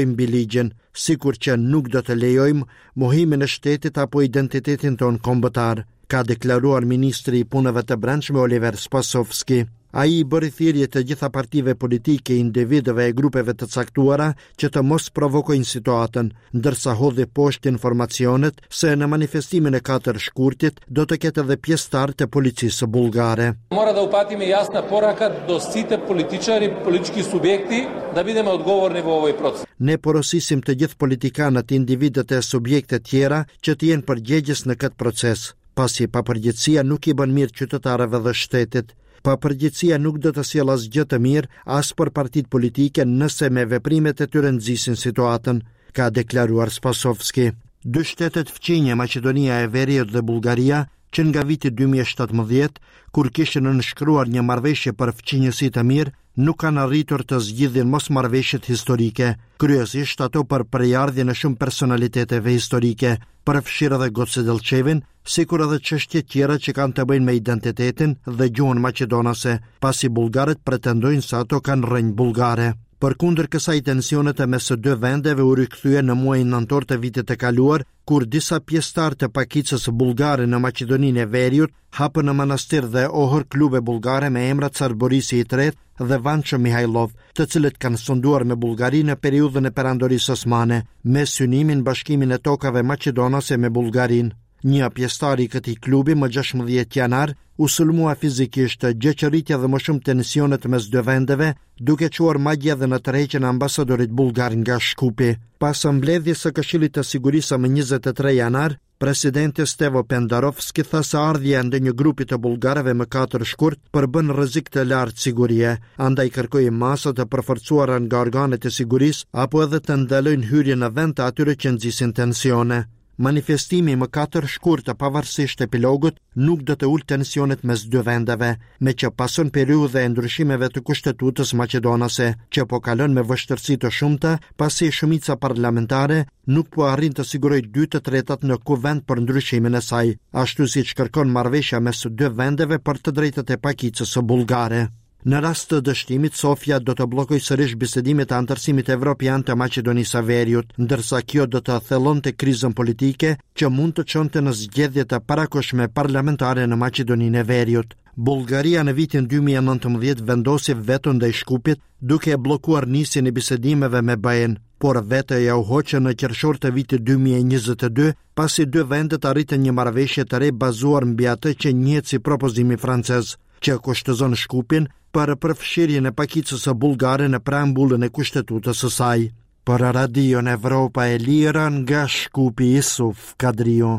Mbi ligjin, sikur që nuk do të lejojmë mohimin e shtetit apo identitetin tonë kombëtar, ka deklaruar ministri i Punëve të Brendshme Oliver Spasovski. Ai i bëri thirrje të gjitha partive politike, individëve e grupeve të caktuara që të mos provokojnë situatën, ndërsa hodhi poshtë informacionet se në manifestimin e 4 shkurtit do të ketë edhe pjesëtarë të policisë bullgare. Mora da upatime jasna poraka do site političari, politički subjekti da bideme odgovorni vo ovoj proces. Ne porosisim të gjithë politikanët, individët e subjektet tjera që të jenë përgjegjës në këtë proces, pasi papërgjegjësia nuk i bën mirë qytetarëve dhe shtetit. Papërgjegjësia nuk do të sjellë asgjë të mirë as për partitë politike nëse me veprimet e tyre nxisin situatën, ka deklaruar Spasovski. Dy shtetet fqinje, Maqedonia e Veriut dhe Bullgaria, që nga viti 2017, kur kishin nënshkruar një marrëveshje për fqinjësi të mirë, nuk kanë arritur të zgjidhin mosmarrëveshjet historike, kryesisht ato për prejardhjen e shumë personaliteteve historike, përfshirë edhe Goce Dellçevin, sikur edhe çështje tjera që kanë të bëjnë me identitetin dhe gjuhën maqedonase, pasi bullgarët pretendojnë se ato kanë rrënjë bullgare. Përkundër kësaj tensionet mes së dy vendeve u rikthyen në muajin nëntor të vitit të kaluar, kur disa pjesëtarë të pakicës bullgare në Maqedoninë e Veriut hapën në Manastir dhe Ohër klube bullgare me emra Car Borisi i Tretë dhe Vanço Mihajlov, të cilët kanë sunduar me Bullgarinë në periudhën e Perandorisë Osmane, me synimin bashkimin e tokave maqedonase me Bullgarinë. Një pjesëtar i këtij klubi më 16 janar u sulmua fizikisht, gjë që rriti edhe më shumë tensionet mes dy vendeve, duke çuar madje edhe në tërheqjen e ambasadorit bullgar nga Shkupi. Pas mbledhjes së Këshillit të Sigurisë më 23 janar, presidenti Stevo Pendarovski tha se ardhja e ndonjë grupi të bullgarëve më 4 shkurt përbën rrezik të lartë sigurie, andaj kërkoi masa të përforcuara nga organet e sigurisë apo edhe të ndalojnë hyrjen në vend të atyre që nxisin tensione. Manifestimi më 4 shkurt pavarësisht epilogut nuk do të ulë tensionet mes dy vendeve, meqë pason periudha e ndryshimeve të kushtetutës maqedonase, që po kalon me vështirësi të shumta, pasi shumica parlamentare nuk po arrin të sigurojë dy të tretat në kuvend për ndryshimin e saj, ashtu siç kërkon marrëveshja mes dy vendeve për të drejtat e pakicës bullgare. Në rast të dështimit, Sofja do të bllokojë sërish bisedimet e anëtarësimit evropian të Maqedonisë së Veriut, ndërsa kjo do të thellonte krizën politike që mund të çonte në zgjedhje të parakohshme parlamentare në Maqedoninë e Veriut. Bullgaria në vitin 2019 vendosi veton ndaj Shkupit, duke e bllokuar nisjen e bisedimeve me BE-n, por vetoja u hoq në qershor të vitit 2022, pasi dy vendet arritën një marrëveshje të re bazuar mbi atë që njihet si propozimi francez. që kushtëzon Shkupin për përfshirjen e pakicës bullgare në preambulën e kushtetutës së saj. Për Radion Evropa e Lirë nga Shkupi Isuf Kadriu.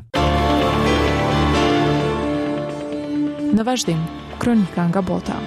Në vazhdim, kronika nga bota.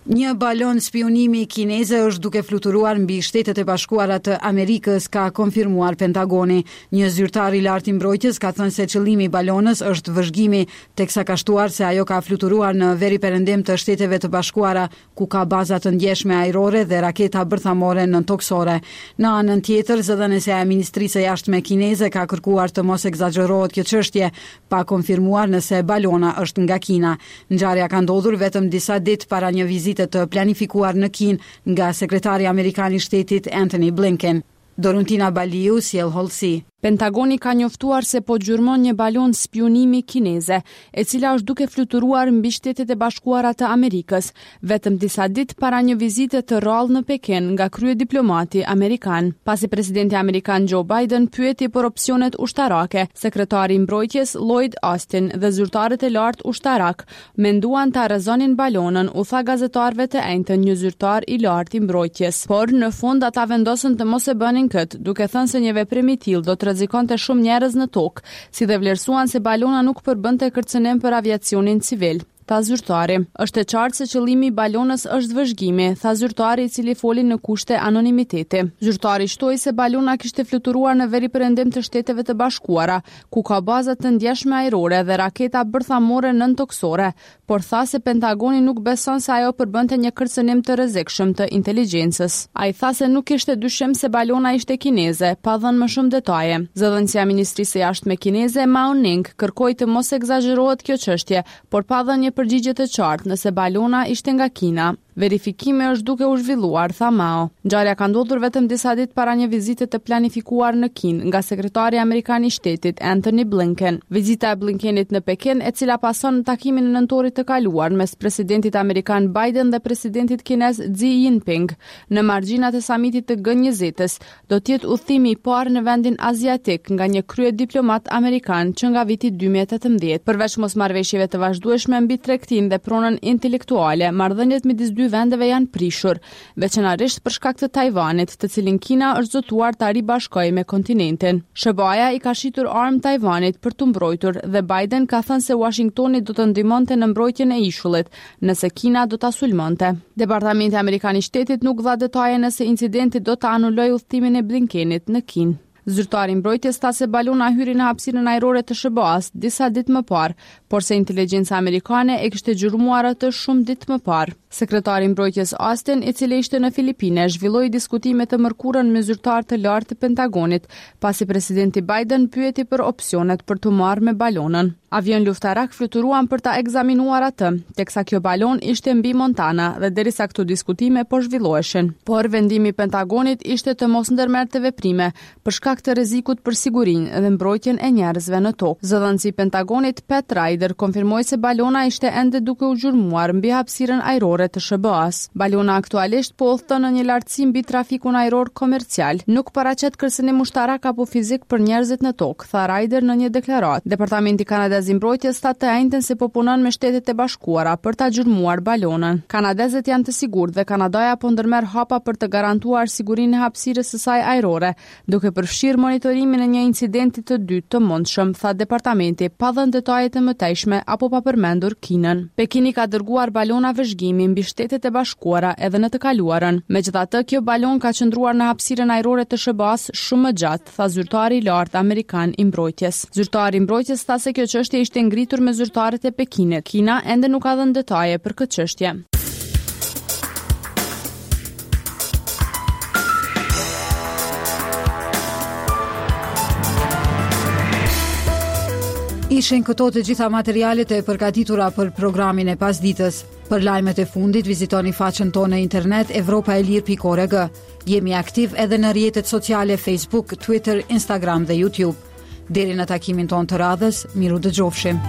Një balonë spiunimi kineze është duke fluturuar mbi Shtetet e Bashkuara të Amerikës, ka konfirmuar Pentagoni. Një zyrtar i lartë i mbrojtjes ka thënë se qëllimi i balonës është vëzhgimi, teksa ka shtuar se ajo ka fluturuar në veriperëndim të Shteteve të Bashkuara, ku ka baza të ndjeshme ajrore dhe raketa bërthamore nëntokësore. Në anën tjetër, zëdhënësja e Ministrisë së Jashtme kineze ka kërkuar të mos ekzagjerohet kjo çështje, pa konfirmuar nëse balona është nga Kina. Ngjarja ka ndodhur vetëm disa ditë para një vizite të planifikuar në Kinë nga sekretari amerikan i Shtetit Antony Blinken. Doruntina Baliu sjell hollësi. Pentagoni ka njoftuar se po gjurmon një balonë spiunimi kineze, e cila është duke fluturuar mbi Shtetet e Bashkuara të Amerikës, vetëm disa ditë para një vizite të rrallë në Pekin nga kryediplomati amerikan. Pasi presidenti amerikan Joe Biden pyeti për opsionet ushtarake, sekretari i mbrojtjes Lloyd Austin dhe zyrtarët e lartë ushtarakë menduan ta rrëzonin balonën, u tha gazetarëve të enjten një zyrtar i lartë i mbrojtjes. Por, në fund ata vendosën të mos e bënin këtë, duke thënë se një veprim i tillë do të rrezikonte shumë njerëz në tokë, si dhe vlerësuan se balona nuk përbënte kërcënim për aviacionin civil. Tha zyrtari. Është e qartë se qëllimi i balonës është vëzhgimi, tha zyrtari i cili foli në kushte anonimiteti. Zyrtari shtoi se balona kishte fluturuar në veriperëndim të Shteteve të Bashkuara, ku ka baza të ndjeshme ajrore dhe raketa bërthamore nëntokësore, por tha se Pentagoni nuk beson se ajo përbënte një kërcënim të rrezikshëm të inteligjencës. Ai tha se nuk kishte dyshim se balona ishte kineze, pa dhënë më shumë detaje. Zëdhënësja e Ministrisë së Jashtme kineze, Mao Ning, kërkoi të mos ekzagjerohet kjo çështje, por pa dhënë një. përgjigje të qartë nëse balona ishte nga Kina. Verifikimi është duke u zhvilluar, tha Mao. Ngjarja ka ndodhur vetëm disa ditë para një vizite të planifikuar në Kinë nga sekretari amerikan i shtetit, Antony Blinken. Vizita e Blinkenit në Pekin, e cila pason takimin e nëntorit të kaluar mes presidentit amerikan Biden dhe presidentit kinez Xi Jinping në margjinat e samitit të G20-s, do të jetë udhëtimi i parë në vendin aziatik nga një kryediplomat amerikan që nga viti 2018. Përveç mosmarrëveshjeve të vazhdueshme mbi tregtinë dhe pronën intelektuale, marrëdhëniet midis dy vendeve janë prishur, veçanërisht për shkak të Tajvanit, të cilin Kina është zotuar ta ribashkojë me kontinentin. SHBA-ja i ka shitur armë Tajvanit për t'u mbrojtur dhe Biden ka thënë se Uashingtoni do të ndihmonte në mbrojtjen e ishullit, nëse Kina do ta sulmonte. Departamenti Amerikan i Shtetit nuk dha detaje nëse incidenti do ta anulojë udhëtimin e Blinkenit në Kinë. Zyrtari i mbrojtjes tha se balona hyri në hapësirën ajrore të SHBA-së disa ditë më parë, por se inteligjenca amerikane e kishte gjurmuar atë shumë ditë më parë. Sekretari i Mbrojtjes Austin, i cili ishte në Filipine, zhvilloi diskutime të mërkurën me zyrtarë të lartë të Pentagonit, pasi presidenti Biden pyeti për opsionet për t'u marrë me balonën. Avionë luftarakë fluturuan për ta ekzaminuar atë, teksa kjo balonë ishte mbi Montana dhe derisa këto diskutime po zhvilloheshin. Por vendimi i Pentagonit ishte të mos ndërmerrte veprime, për shkak të rrezikut për sigurinë dhe mbrojtjen e njerëzve në tokë. Zëdhënësi i Pentagonit, Pat Ryder, konfirmoi se balona ishte ende duke u gjurmuar mbi hapësirën ajrore të SHBA-së. Balona aktualisht po udhëton në një lartësi mbi trafikun ajror komercial. Nuk paraqet kërcënim ushtarak apo fizik për njerëzit në tokë, tha Ryder në një deklaratë. Departamenti kanadez i Mbrojtjes tha të enjten se po punon me Shtetet e Bashkuara për ta gjurmuar balonën. Kanadezët janë të sigurt dhe Kanadaja po ndërmerr hapa për të garantuar sigurinë e hapësirës së saj ajrore, duke përfshirë monitorimin e një incidenti të dytë të mundshëm, tha departamenti, pa dhënë detaje të mëtejshme apo pa përmendur Kinën. Pekini ka dërguar balona vëzhgimi mbi Shtetet e Bashkuara edhe në të kaluarën. Megjithatë, kjo balonë ka qëndruar në hapësirën ajrore të SHBA-së shumë më gjatë, tha zyrtari i lartë amerikan i mbrojtjes. Zyrtari i mbrojtjes tha se kjo çështje ishte ngritur me zyrtarët e Pekinit. Kina ende nuk ka dhënë detaje për këtë çështje. Ishin këto të gjitha materialet e përgatitura për programin e pasditës. Për lajmet e fundit vizitoni faqen tonë në internet evropaelire.org. Jemi aktiv edhe në rrjetet sociale Facebook, Twitter, Instagram dhe YouTube. Deri në takimin tonë të radhës, mirudëgjofshim.